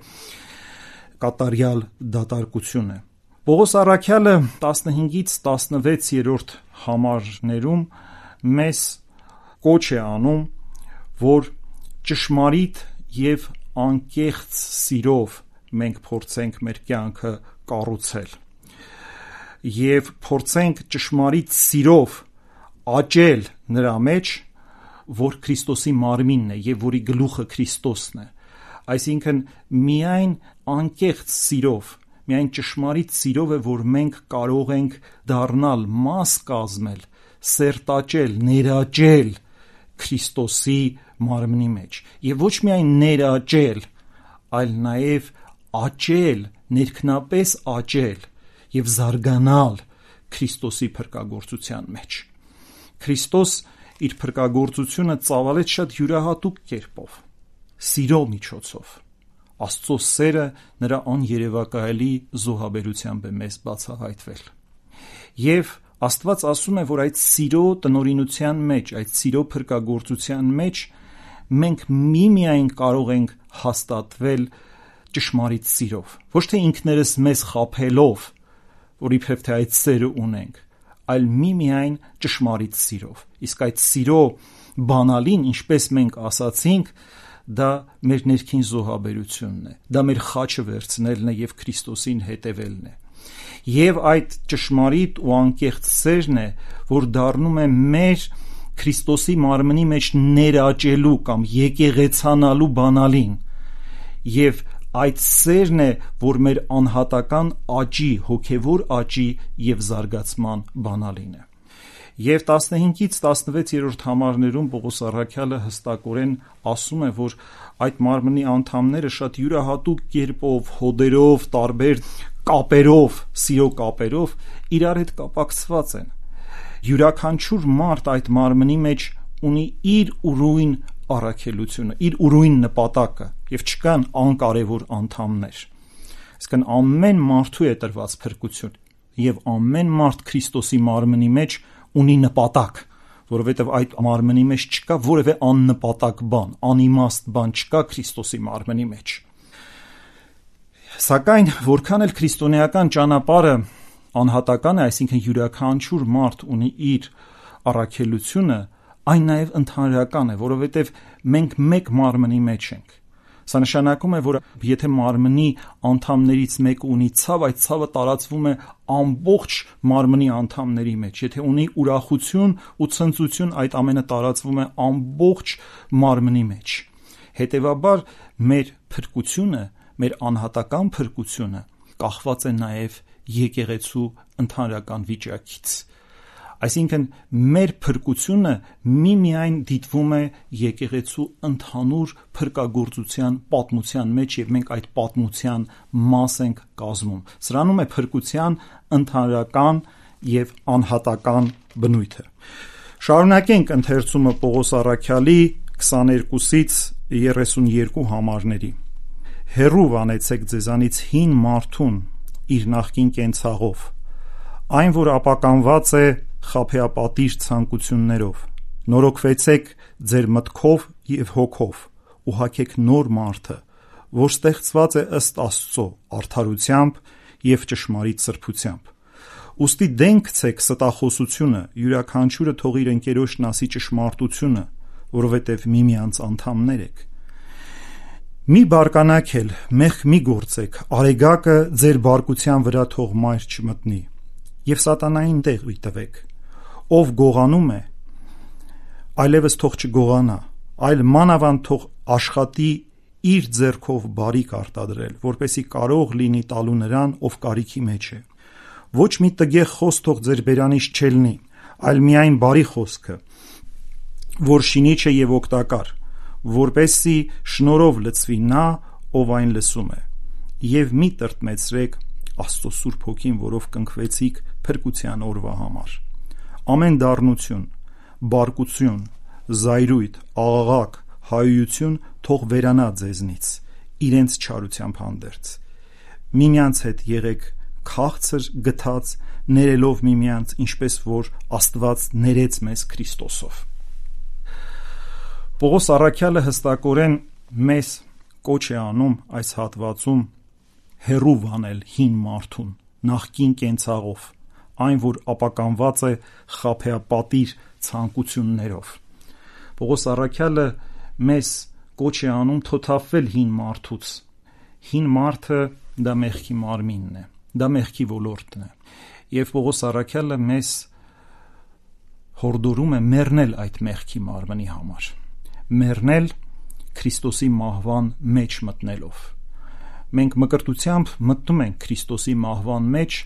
կատարյալ դատարկություն է։ Պողոս առաքյալը տասնհինգից տասնվեցերորդ համարներում մեզ կոչ է անում, որ ճշմարիտ եւ անկեղծ սիրով մենք փորձենք մեր կյանքը կառուցել եւ փորձենք ճշմարիտ սիրով աճել նրա մեջ, որ Քրիստոսի մարմինն է եւ որի գլուխը Քրիստոսն է։ Այսինքն միայն անկեղծ սիրով, միայն ճշմարիտ սիրով է, որ մենք կարող ենք դառնալ մաս կազմել, սերտաճել, ներաճել Քրիստոսի մարմնի մեջ եւ ոչ միայն ներաճել, այլ նաեւ աճել, ներքնապես աճել եւ զարգանալ Քրիստոսի փրկagorցության մեջ։ Քրիստոս իր փրկagorցությունը ծավալեց շատ յուրահատուկ կերպով, սիրո միջոցով։ Աստծո սերը նրա աներևակայելի զոհաբերությամբ է մեզ բացահայտվել։ Եվ Աստված ասում է, որ այդ սիրո տնօրինության մեջ, այդ սիրո փրկagorցության մեջ մենք միմիայն կարող ենք հաստատվել ճշմարիտ սիրով, ոչ թե ինքներս մեզ խաբելով, որ իբրև թե այդ սերը ունենք, այլ միմիայն ճշմարիտ սիրով։ Իսկ այդ սիրո բանալին, ինչպես մենք ասացինք, դա մեր ներքին զոհաբերությունն է, դա մեր խաչը վերցնելն է եւ Քրիստոսին հետևելն է։ Եվ այդ ճշմարիտ ու անկեղծ սերն է, որ դառնում է մեր Քրիստոսի մարմնի մեջ ներաճելու կամ եկեղեցանալու բանալին, եւ այդ սերն է, որ մեր անհատական աճի, հոգևոր աճի եւ զարգացման բանալին է։ Եվ տասնհինգից տասնվեցերորդ համարներում Պողոս առաքյալը հստակորեն ասում է, որ այդ մարմնի անդամները շատ յուրահատուկ կերպով, հոդերով, տարբեր կապերով, սիրո կապերով իրար հետ կապակցված են։ Յուրաքանչյուր մարդ այդ մարմնի մեջ ունի իր ուրույն առաքելությունը, իր ուրույն նպատակը եւ չկան անկարևոր անդամներ։ Իսկն ամեն մարդու է տրված փրկություն եւ ամեն մարդ Քրիստոսի մարմնի մեջ ունի նպատակ, որովհետեւ այդ մարմնի մեջ չկա որևէ աննպատակ բան, անիմաստ բան չկա Քրիստոսի մարմնի մեջ։ Սակայն որքան էլ քրիստոնեական ճանապարհը անհատական է, այսինքն յուրաքանչյուր մարդ ունի իր առաքելությունը, այն նաև ընդհանրական է, որովհետև մենք մեկ մարմնի մեջ ենք։ Սա նշանակում է, որ եթե մարմնի անդամներից մեկը ունի ցավ, այդ ցավը տարածվում է ամբողջ մարմնի անդամների մեջ։ Եթե ունի ուրախություն ու ցնծություն, այդ ամենը տարածվում է ամբողջ մարմնի մեջ։ Հետևաբար մեր փրկությունը, մեր անհատական փրկությունը կախված է նաև եկեղեցու ընդհանրական վիճակից։ Այսինքն մեր փրկությունը միմիայն դիտվում է եկեղեցու ընդհանուր փրկagorցության պատմության մեջ եւ մենք այդ պատմության մաս ենք կազմում։ Սրանում է փրկության ընդհանրական եւ անհատական բնույթը։ Շարունակենք ընթերցումը Պողոս առաքյալի քսաներկուսից երեսունյերկու համարների։ Հեռու վանեցեք ձեզանից հին մարդուն իր նախկին կենցաղով, այն որ ապականված է խաբեապատիժ ցանկություններով, նորոգվեցեք ձեր մտքով եւ հոգով ու հագեք նոր մարդը, որ ստեղծված է ըստ Աստծո արդարությամբ եւ ճշմարիտ սրբությամբ։ Ուստի դեն գցեք ստախոսությունը, յուրաքանչյուրը թող իր ընկերոջն ասի ճշմարտությունը, որովհետեւ միմյանց անդամներ եք։ Մի բարկանաք էլ, մեղք մի գործեք, արեգակը ձեր բարկության վրա թող մայր չմտնի, եւ սատանային տեղ մի տվեք։ Ով գողանում է, այլևս թող չգողանա, այլ մանավանդ թող աշխատի իր ձեռքով բարիք արտադրել, որպեսի կարող լինի տալու նրան, ով կարիքի մեջ է։ Ոչ մի տգեղ խոսք թող ձեր բերանից չելնի, այլ միայն բարի խոսքը, որ շինիչ է եւ օգտակար, որպեսզի շնորհով լցվի նա, ով այն լսում է, եւ մի տրտմեցրեք Աստծո Սուրբ Հոգին, որով կնքվեցիք փրկության օրվա համար։ Ամեն դառնություն, բարկություն, զայրույթ, աղաղակ, հայույություն թող վերանա ձեզնից, իրենց չարությամբ հանդերձ։ Միմյանց հետ եղեք քաղցր գթած, ներելով միմյանց, ինչպես որ Աստված ներեց մեզ Քրիստոսով։ Պողոս առաքյալը հստակորեն մեզ կոչ է անում այս հատվածում հեռու վանել հին մարդուն նախկին կենցաղով, այն որ ապականված է խաբեապատիր ցանկություններով։ Պողոս առաքյալը մեզ կոչ է անում թոթափվել հին մարդուց։ Հին մարդը դա մեղքի մարմինն է, դա մեղքի ոլորտն է, եւ Պողոս առաքյալը մեզ հորդորում է մեռնել այդ մեղքի մարմնի համար, մեռնել Քրիստոսի մահվան մեջ մտնելով։ Մենք մկրտությամբ մտնում ենք Քրիստոսի մահվան մեջ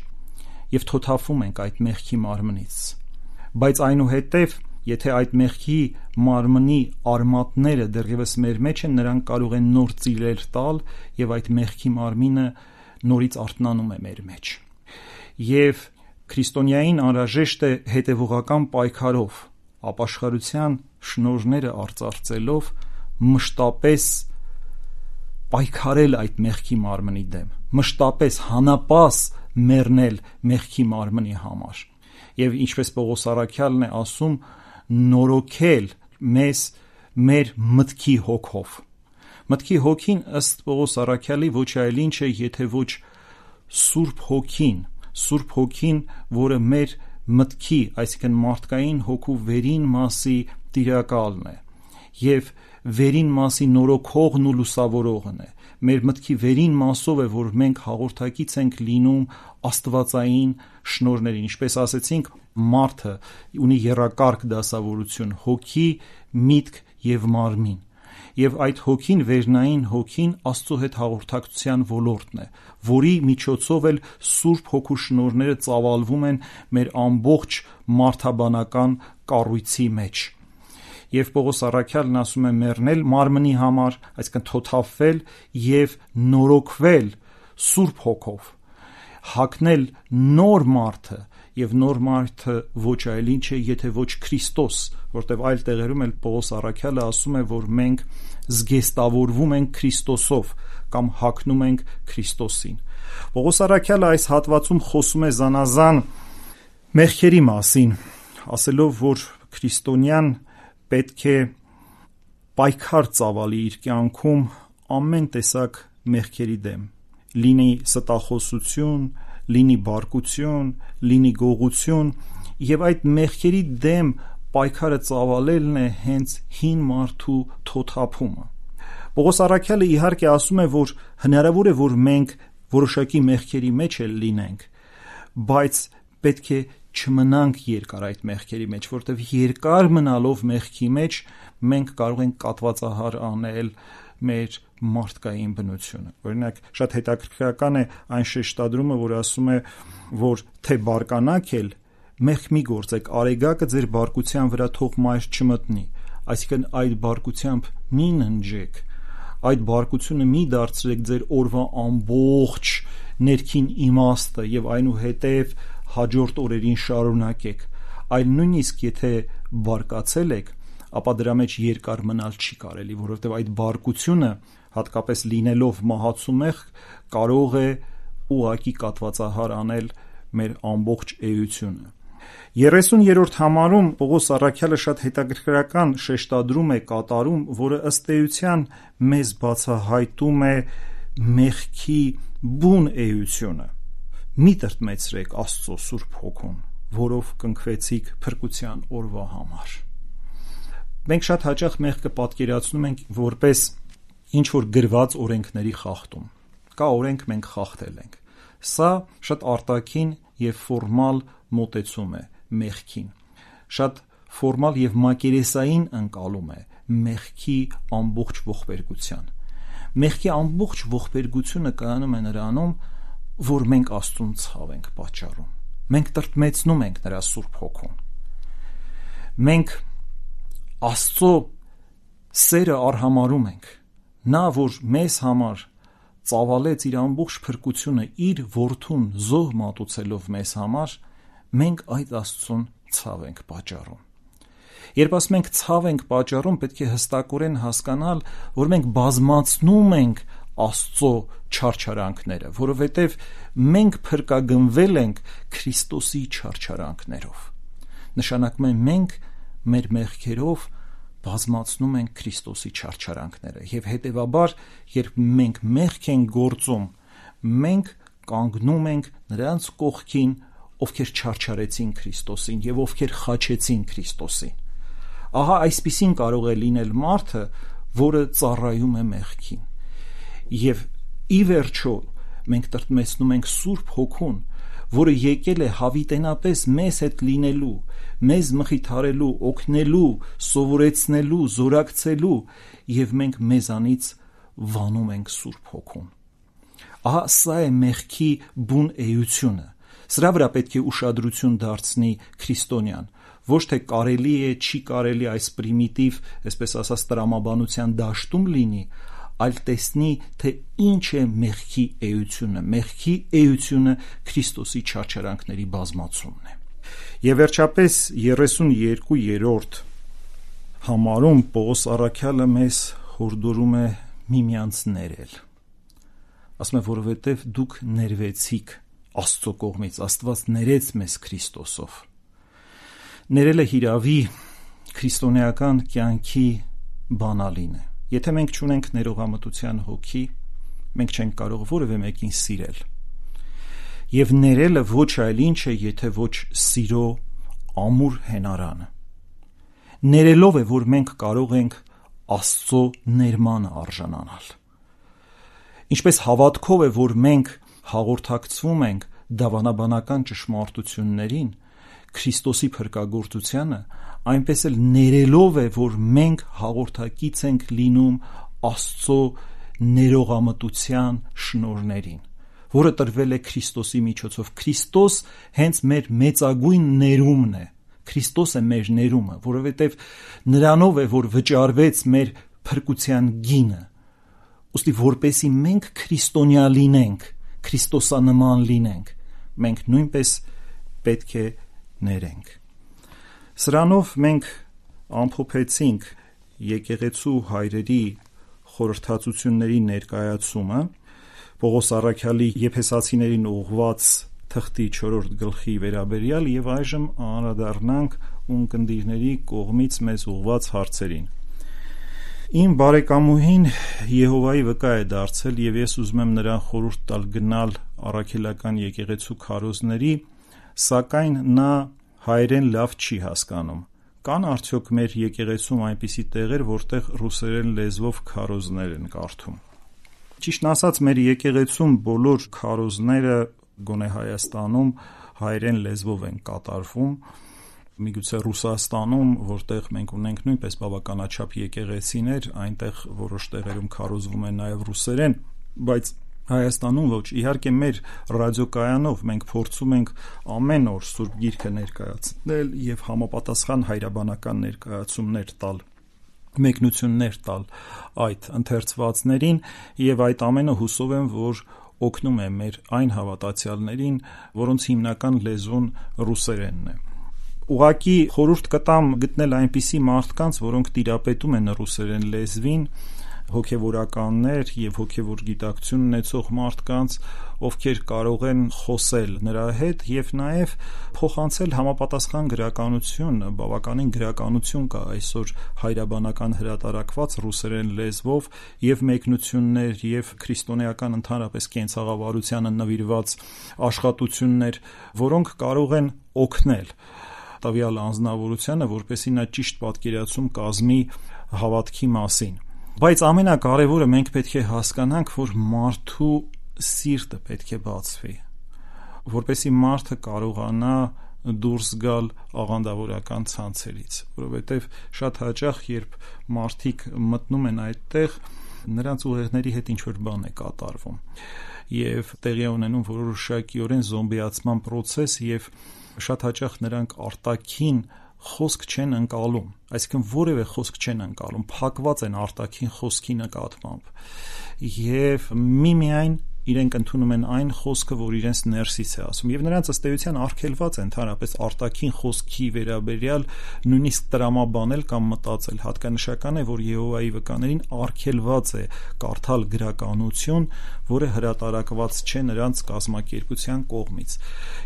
եւ թոթափվում ենք այդ մեղքի մարմնից, բայց այնուհետև եթե այդ մեղքի մարմնի արմատները դեռևս մեր մեջ են, նրանք կարող են նոր ծիլեր տալ եւ այդ մեղքի մարմինը նորից արթնանում է մեր մեջ։ Եվ քրիստոնյային անհրաժեշտ է հետևողական պայքարով, ապաշխարության շնորհները արծարծելով մշտապես պայքարել այդ մեղքի մարմնի դեմ, մշտապես հանապաս մեռնել մեղքի մարմնի համար։ Եվ ինչպես Պողոս առաքյալն է ասում, նորոգել մեզ մեր մտքի հոգով։ Մտքի հոգին ըստ Պողոս առաքյալի ոչ այլ ինչ է, եթե ոչ Սուրբ Հոգին, Սուրբ Հոգին, որը մեր մտքի, այսինքն մարդկային հոգու վերին մասի տիրակալն է եւ վերին մասի նորոգողն ու լուսավորողն է։ Մեր մտքի վերին մասով է, որ մենք հաղորդակից ենք լինում աստվածային շնորհներին, ինչպես ասեցինք, մարդը ունի եռակարգ դասավորություն՝ հոգի, միտք եւ մարմին։ Եվ այդ հոգին, վերնային հոգին Աստծո հետ հաղորդակցության ոլորտն է, որի միջոցով էլ Սուրբ Հոգու շնորհները ծավալվում են մեր ամբողջ մարդաբանական կառույցի մեջ։ Եվ Պողոս առաքյալն ասում է մեռնել մարմնի համար, այսինքն թոթափվել եւ նորոգվել Սուրբ Հոգով, հագնել նոր մարդը, եւ նոր մարդը ոչ այլ ինչ է, եթե ոչ Քրիստոս, որտեղ այլ տեղերում էլ Պողոս առաքյալը ասում է, որ մենք զգեստավորվում ենք Քրիստոսով կամ հագնում ենք Քրիստոսին։ Պողոս առաքյալը այս հատվածում խոսում է զանազան մեղքերի մասին, ասելով, որ քրիստոնյան պետք է պայքար ծավալի իր կյանքում ամեն տեսակ մեղքերի դեմ, լինի ստախոսություն, լինի բարկություն, լինի գողություն, եւ այդ մեղքերի դեմ պայքարը ծավալելն է հենց հին մարդու թոթափումը։ Պողոս առաքյալը իհարկե ասում է, որ հնարավոր է, որ մենք որոշակի մեղքերի մեջ էլ լինենք, բայց պետք է չմնանք երկար այդ մեղքերի մեջ, որտեղ երկար մնալով մեղքի մեջ մենք կարող ենք կատվածահար անել մեր մարդկային բնությունը։ Օրինակ, շատ հետաքրքրական է այն շեշտադրումը, որ ասում է, որ թե բարկանաք էլ մեղք մի գործեք, արեգակը ձեր բարկության վրա թող մայր չմտնի, այսինքն այդ բարկությամբ մի ննջեք, այդ բարկությունը մի դարձրեք ձեր օրվա ամբողջ ներքին իմաստը եւ այնուհետեւ հաջորդ օրերին շարունակեք, այլ նույնիսկ եթե բարկացել եք, ապա դրա մեջ երկար մնալ չի կարելի, որովհետև այդ բարկությունը, հատկապես լինելով մահացու մեղք, կարող է ուղղակի կատվածահար անել մեր ամբողջ էությունը։ երեսուներորդ համարում Պողոս առաքյալը շատ հետաքրքրական շեշտադրում է կատարում, որը ըստ էության մեզ բացահայտում է մեղքի բուն էությունը։ Մի տրտմեցրեք Աստծո Սուրբ Հոգուն, որով կնքվեցիք փրկության օրվա համար։ Մենք շատ հաճախ մեղքը պատկերացնում ենք որպես ինչ որ գրված օրենքների խախտում։ Կա օրենք, մենք խախտել ենք։ Սա շատ արտաքին եւ ֆորմալ մոտեցում է մեղքին։ Շատ ֆորմալ եւ մակերեսային ընկալում է մեղքի ամբողջ ողբերգության։ Մեղքի ամբողջ ողբերգությունը կայանում է նրանում, որ մենք Աստծուն ցավ ենք պատճառում։ մենք տրտմեցնում ենք նրա Սուրբ Հոգուն։ Մենք Աստծո սերը արհամարում ենք, նա, որ մեզ համար ծավալեց իր ամբողջ փրկությունը իր որդուն զոհ մատուցելով մեզ համար, մենք այդ Աստծուն ցավ ենք պատճառում։ Երբ ասում ենք ցավ ենք պատճառում, պետք է հստակորեն հասկանալ, որ մենք բազմացնում ենք Աստծո չարչարանքները, որովհետև մենք փրկագնվել ենք Քրիստոսի չարչարանքներով։ Նշանակում է մենք մեր մեղքերով բազմացնում ենք Քրիստոսի չարչարանքները, եւ հետեւաբար, երբ մենք մեղք ենք գործում, մենք կանգնում ենք նրանց կողքին, ովքեր չարչարեցին Քրիստոսին եւ ովքեր խաչեցին Քրիստոսին։ Ահա այսպիսին կարող է լինել մարդը, որը ծառայում է մեղքին։ Եվ ի վերջո մենք տրտմեցնում ենք Սուրբ Հոգուն, որը եկել է հավիտենապես մեզ հետ լինելու, մեզ մխիթարելու, օգնելու, սովորեցնելու, զորակցելու, եւ մենք մեզանից վանում ենք Սուրբ Հոգուն։ Ահա սա է մեղքի բուն էությունը։ Սրա վրա պետք է ուշադրություն դարձնի քրիստոնյան, ոչ թե կարելի է, չի կարելի այս պրիմիտիվ, այսպես ասած, տրամաբանության դաշտում լինի, այլ տեսնի, թե ինչ է մեղքի էությունը։ Մեղքի էությունը Քրիստոսի չարչարանքների բազմացումն է։ Եվ վերջապես երեսունյոթերորդ համարում Պողոս առաքյալը մեզ հորդորում է միմյանց ներել։ Ասում է, որովհետև դուք ներվեցիք Աստծո կողմից, Աստված ներեց մեզ Քրիստոսով։ Ներելը հիրավի քրիստոնեական կյանքի բանալին է։ Եթե մենք չունենք ներողամտության հոգի, մենք չենք կարող որևէ մեկին սիրել։ Եվ ներելը ոչ այլ ինչ է, եթե ոչ սիրո ամուր հենարանը։ Ներելով է, որ մենք կարող ենք Աստծո ներմանը արժանանալ։ Ինչպես հավատքով է, որ մենք հաղորդակցվում ենք դավանաբանական ճշմարտություններին, Քրիստոսի փրկagorցությանը, այնպես էլ ներելով է, որ մենք հաղորդակից ենք լինում Աստծո ներողամտության շնորհներին, որը տրվել է Քրիստոսի միջոցով։ Քրիստոս հենց մեր մեծագույն ներումն է։ Քրիստոս է մեր ներումը, որովհետև նրանով է, որ վճարվեց մեր փրկության գինը։ Ուստի որպեսի մենք քրիստոնյա լինենք, քրիստոսանման լինենք, մենք նույնպես պետք է ներենք։ Սրանով մենք ամփոփեցինք եկեղեցու հայրերի խորհրդածությունների ներկայացումը Պողոս առաքյալի Եփեսացիներին ուղղված թղթի չորրորդ գլխի վերաբերյալ, եւ այժմ անդրադառնանք ունկնդիրների կողմից մեզ ուղղված հարցերին։ Իմ բարեկամուհին Եհովայի վկա է դարձել, եւ ես ուզում եմ նրան խորհուրդ տալ գնալ առաքելական եկեղեցու քարոզների, սակայն նա հայերեն լավ չի հասկանում։ Կան արդյոք մեր եկեղեցում այնպիսի տեղեր, որտեղ ռուսերեն լեզվով քարոզներ են կարդում։ Ճիշտն ասած, մեր եկեղեցում բոլոր քարոզները, գոնե Հայաստանում, հայերեն լեզվով են կատարվում։ Միգուցե Ռուսաստանում, որտեղ մենք ունենք նույնպես բավականաչափ եկեղեցիներ, այնտեղ որոշ տեղերում քարոզվում է նաև ռուսերեն, բայց Հայաստանում ոչ։ Իհարկե մեր ռադիոկայանով մենք փորձում ենք ամեն օր Սուրբ Գիրքը ներկայացնել եւ համապատասխան հայրաբանական ներկայացումներ տալ, մեկնություններ տալ այդ ընթերցվածներին, եւ այդ ամենը հուսով եմ, որ օգնում է մեր այն հավատացյալներին, որոնց հիմնական լեզուն ռուսերենն է։ Ուղղակի խորհուրդ կտամ գտնել այնպիսի մարդկանց, որոնք տիրապետում են ռուսերեն լեզվին, հոգևորականներ եւ հոգևոր գիտակցություն ունեցող մարդկանց, ովքեր կարող են խոսել նրա հետ եւ նաեւ փոխանցել համապատասխան գրականություն, բավականին գրականություն կա այսօր հայրաբանական հրատարակված ռուսերեն լեզվով եւ մեկնություններ եւ քրիստոնեական ընդհանրապես կենցաղավարությանը նվիրված աշխատություններ, որոնք կարող են օգնել տվյալ անձնավորությանը, որպեսզի նա ճիշտ պատկերացում կազմի հավատքի մասին։ Բայց ամենակարևորը մենք պետք է հասկանանք, որ մարդու սիրտը պետք է բացվի, որպեսզի մարդը կարողանա դուրս գալ աղանդավորական ցանցերից, որովհետև շատ հաճախ, երբ մարդիկ մտնում են այդտեղ, նրանց ուղեղների հետ ինչ-որ բան է կատարվում եւ տեղի ունենում որոշակիորեն զոմբիացման process եւ շատ հաճախ նրանք արտաքին խոսք չեն ընկալում, այսինքն որևէ խոսք չեն ընկալում, փակված են արտաքին խոսքի նկատմամբ եւ միմիայն իրենք ընդունում են այն խոսքը, որ իրենց ներսից է ասում եւ նրանց ըստ էության արգելված է ընդհանրապես արտաքին խոսքի վերաբերյալ նույնիսկ տրամաբանել կամ մտածել։ Հատկանշական է, որ Եհովայի վկաներին արգելված է կարդալ գրականություն, որը հրատարակված չէ նրանց կազմակերպության կողմից։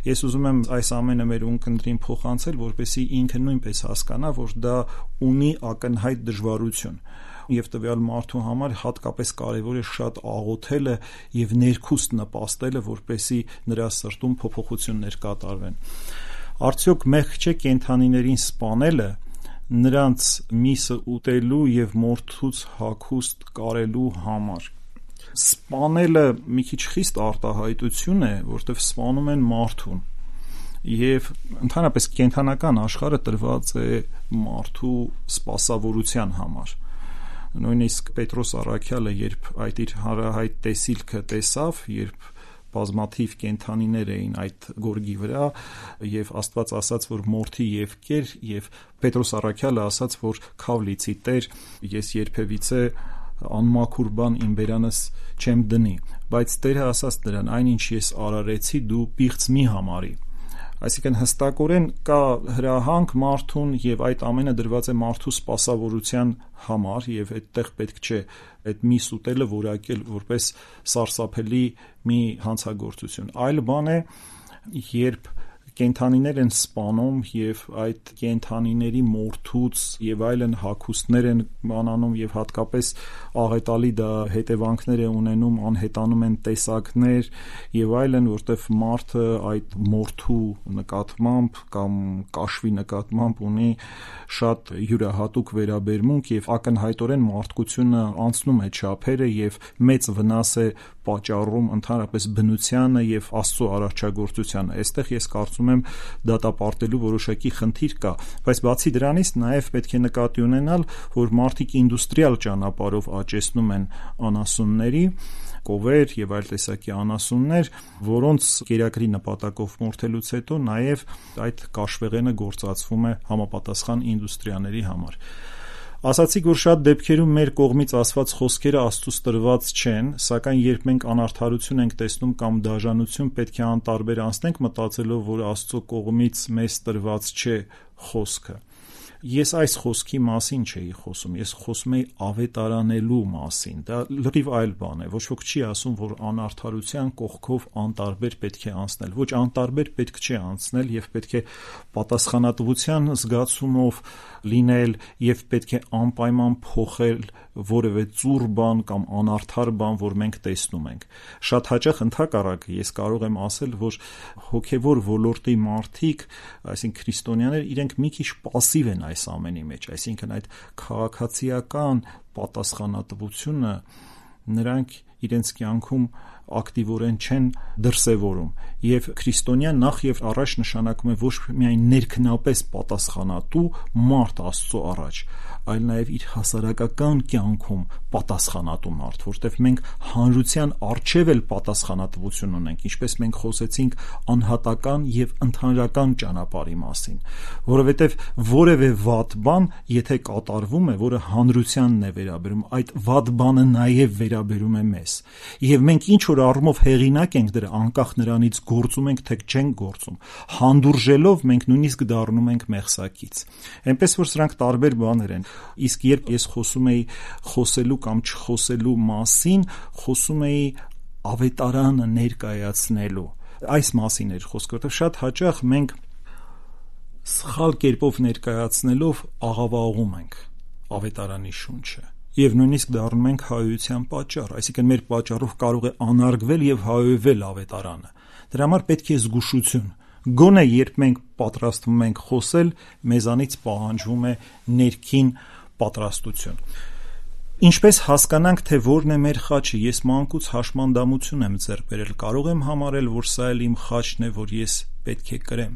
Ես ուզում եմ այս ամենը մեր ունկնդրին փոխանցել, որպեսզի ինքը նույնպես հասկանա, որ դա ունի ակնհայտ դժվարություն եւ տվյալ մարդու համար հատկապես կարեւոր է շատ աղոթելը եւ ներքուստ նպաստելը, որպեսզի նրա սրտում փոփոխություններ կատարվեն։ Արդյոք մեղք չէ կենդանիներին սպանելը, նրանց միսը ուտելու եւ մորթուց հագուստ կարելու համար։ Սպանելը մի քիչ խիստ արտահայտություն է, որտեղ սպանում են մարդուն։ Եվ ընդհանրապես կենդանական աշխարհը տրված է մարդու սպասավորության համար։ Նույնիսկ Պետրոս Առաքյալը, երբ այդ իր հարահայտ տեսիլքը տեսավ, երբ բազմաթիվ կենդանիներ էին այդ գորգի վրա եւ Աստված ասաց, որ մորթի եւ կեր, եւ Պետրոս Առաքյալը ասաց, որ քավ լիցի Տեր, ես երբևիցե անմաքուր բան իմ բերանս չեմ դնի, բայց Տերը ասաց նրան, այնինչ ես արարեցի, դու պիղծ մի համարի։ Այսինքն հստակորեն կա հրահանգ մարդուն եւ այդ ամենը դրված է մարդու սպասավորության համար եւ այդտեղ պետք չէ այդ միս ուտելը որակել որպես սարսափելի մի հանցագործություն։ Այլ բան է, երբ կենդանիներ են սպանում եւ այդ կենդանիների մորթուց եւ այլն հագուստներ են բանանում եւ հատկապես աղետալի դա հետևանքներ է ունենում, անհետանում են տեսակներ եւ այլն, որտեվ մարդը այդ մորթու նկատմամբ կամ կաշվի նկատմամբ ունի շատ յուրահատուկ վերաբերմունք եւ ակնհայտորեն մարդկությունը անցնում է չափերը եւ մեծ վնաս է պատճառում ընդհանրապես բնությանը եւ Աստծո արարչագործությանը։ Այստեղ ես կարծում եմ դատապարտելու որոշակի խնդիր կա, բայց բացի դրանից նաեւ պետք է նկատի ունենալ, որ մարդիկ ինդուստրիալ ճանապարհով աճեցնում են անասունների, կովեր եւ այլ տեսակի անասուններ, որոնց կերակրի նպատակով մորթելուց հետո նաեւ այդ կաշվեղենը գործածվում է համապատասխան ինդուստրիաների համար։ Ասացիք, որ շատ դեպքերում մեր կողմից ասված խոսքերը Աստծուց տրված չեն, սակայն երբ մենք անարդարություն ենք տեսնում կամ դաժանություն, պետք է անտարբեր անցնենք մտածելով, որ Աստծո կողմից մեզ տրված չէ խոսքը։ Ես այս խոսքի մասին չէի խոսում, ես խոսում էի ավետարանելու մասին, դա լրիվ այլ բան է, ոչ ոք չի ասում, որ անարդարության կողքով անտարբեր պետք է անցնել, ոչ անտարբեր պետք չէ անցնել եւ պետք է պատասխանատվության զգացումով լինել եւ պետք է անպայման փոխել որևէ ծուռ բան կամ անարդար բան, որ մենք տեսնում ենք։ Շատ հաճախ ընդհակառակը ես կարող եմ ասել, որ հոգեվոր ոլորտի մարդիկ, այսինքն քրիստոնյաներ, իրենք մի քիչ пассив են այս ամենի մեջ, այսինքն այդ քաղաքացիական պատասխանատվությունը նրանք իրենց կյանքում ակտիվորեն չեն դրսևորում եւ քրիստոնյան նախ եւ առաջ նշանակում է ոչ միայն ներքնապես պատասխանատու մարդ Աստծո առաջ, այլ նաեւ իր հասարակական կյանքում պատասխանատու մարդ, որտեղ մենք հանրության արչեւ էլ պատասխանատվություն ունենք, ինչպես մենք խոսեցինք անհատական եւ ընդհանրական ճանապարհի մասին, որովհետեւ որևէ վատ բան, եթե կատարվում է, որը հանրությանն է վերաբերում, այդ վատ բանը նաեւ վերաբերում է մեզ։ Եվ մենք ինչ որ առումով հեղինակ ենք դրա, անկախ նրանից գործում ենք թե չենք գործում, հանդուրժելով մենք նույնիսկ դառնում ենք մեղսակից։ Այնպես որ սրանք տարբեր բաներ են։ Իսկ երբ ես խոսում էի խոսելու կամ չխոսելու մասին, խոսում էի ավետարանը ներկայացնելու։ Այս մասին էր խոսքը, որտեղ շատ հաճախ մենք սխալ կերպով ներկայացնելով աղավաղում ենք ավետարանի շունչը եւ նույնիսկ դառնում ենք հայոյության պատճառ, այսինքն մեր պատճառով կարող է անարգվել եւ հայոյվել ավետարանը։ Դրա համար պետք է զգուշություն։ Գոնե երբ մենք պատրաստվում ենք խոսել, մեզանից պահանջվում է ներքին պատրաստություն։ Ինչպես հասկանանք, թե որն է մեր խաչը, ես մանկուց հաշմանդամություն եմ ձեռք բերել, կարող եմ համարել, որ սա էլ իմ խաչն է, որ ես պետք է կրեմ։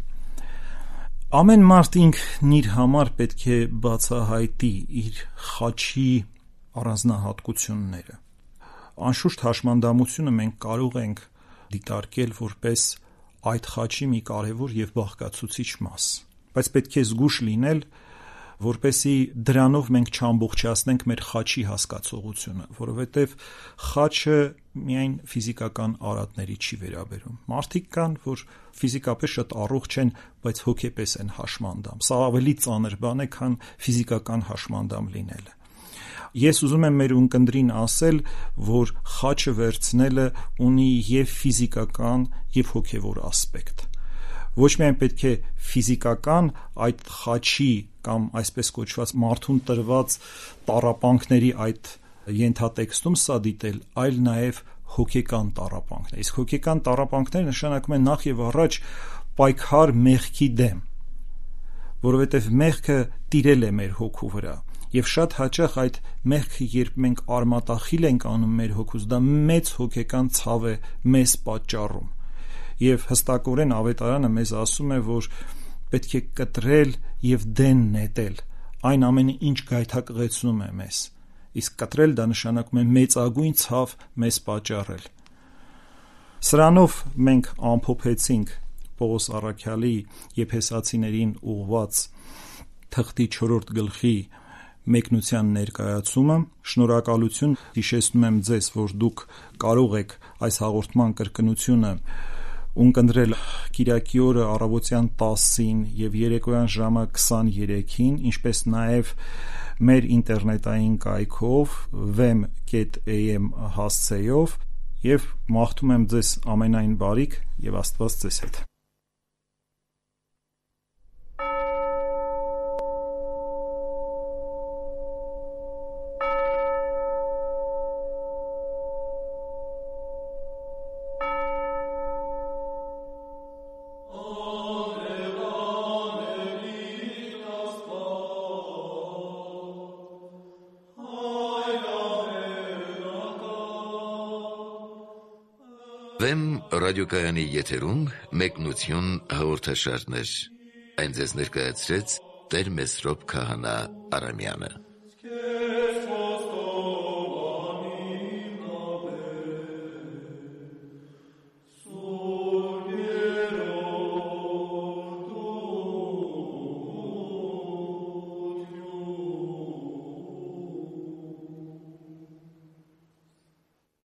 Ամեն մարդ ինքն իր համար պետք է բացահայտի իր խաչի առանձնահատկությունները։ Անշուշտ հաշմանդամությունը մենք կարող ենք դիտարկել որպես այդ խաչի մի կարևոր և բաղկացուցիչ մաս, բայց պետք է զգույշ լինել, որպեսզի դրանով մենք չամբողջացնենք մեր խաչի հասկացողությունը, որովհետև խաչը միայն ֆիզիկական արատների չի վերաբերում։ Մարդիկ կան, որ ֆիզիկապես շատ առողջ են, բայց հոգեպես են հաշմանդամ։ Սա ավելի ծանր բան է, քան ֆիզիկական հաշմանդամ լինելը։ Ես ուզում եմ մեր ունկնդրին ասել, որ խաչը վերցնելը ունի և ֆիզիկական, և հոգևոր ասպեկտ։ Ոչ միայն պետք է ֆիզիկական այդ խաչի կամ այսպես կոչված մարդուն տրված տառապանքների այդ ենթատեքստում սա դիտել, այլ նաև հոգեկան տառապանքներ։ Իսկ հոգեկան տառապանքները նշանակում են նախ և առաջ պայքար մեղքի դեմ, որովհետև մեղքը տիրել է մեր հոգու վրա, և շատ հաճախ այդ մեղքը, երբ մենք արմատախիլ ենք անում մեր հոգուց, դա մեծ հոգեկան ցավ է մեզ պատճառում։ Եվ հստակորեն Ավետարանը մեզ ասում է, որ պետք է կտրել և դեն նետել այն ամենը, ինչ գայթակղեցնում է մեզ, իսկ կտրել դա նշանակում է մեծագույն ցավ մեզ պատճառել։ Սրանով մենք ամփոփեցինք Պողոս առաքյալի Եփեսացիներին ուղղված թղթի չորրորդ գլխի մեկնության ներկայացումը։ Շնորհակալություն, հիշեցնում եմ ձեզ, որ դուք կարող եք այս հաղորդման կրկնությունը ունկնդրել կիրակի օրը առավոտյան տասին և երեկոյան ժամը քսաներեքին, ինչպես նաև մեր ինտերնետային կայքով վեմ կետ էյ էմ հասցեով, և մաղթում եմ ձեզ ամենայն բարիք և Աստված ձեզ հետ։ Վեմ ռադիոկայանի եթերում մեկնություն հաղորդաշարներ։ Այն ձեզ ներկայացրեց Տեր Մեսրոպ Քահանա Արամյանը։